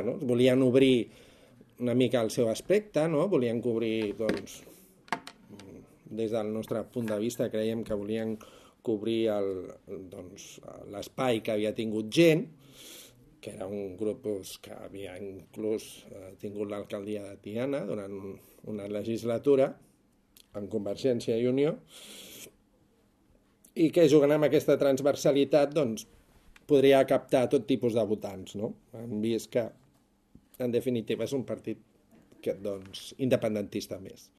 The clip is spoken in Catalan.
bueno, volien obrir una mica el seu aspecte, no? Volien cobrir, doncs, des del nostre punt de vista creiem que volien cobrir l'espai que havia tingut Gent, que era un grup que havia inclús tingut l'alcaldia de Tiana durant una legislatura en Convergència i Unió, i que jugant amb aquesta transversalitat doncs, podria captar tot tipus de votants, no? Hem vist que en definitiva és un partit que, doncs, independentista més.